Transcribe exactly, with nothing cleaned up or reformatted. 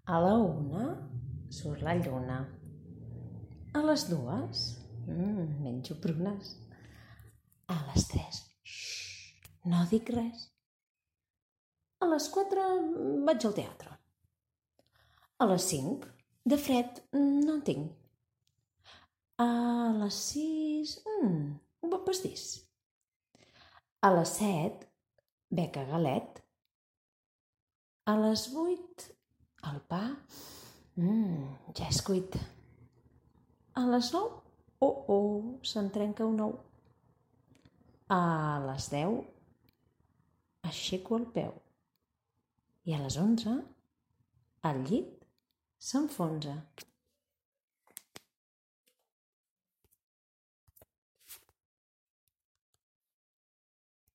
A la una surt la lluna. A les dues mm, menjo prunes. A les tres xxxt, no dic res. A les quatre vaig al teatre. A les cinc de fred no en tinc. A les sis mm, un bon pastís. A les set bec a galet. A les vuit el pa mm, ja és cuit. A les nou, oh, oh, se'n trenca un ou. A les deu aixeco el peu. I a les onze el llit s'enfonsa.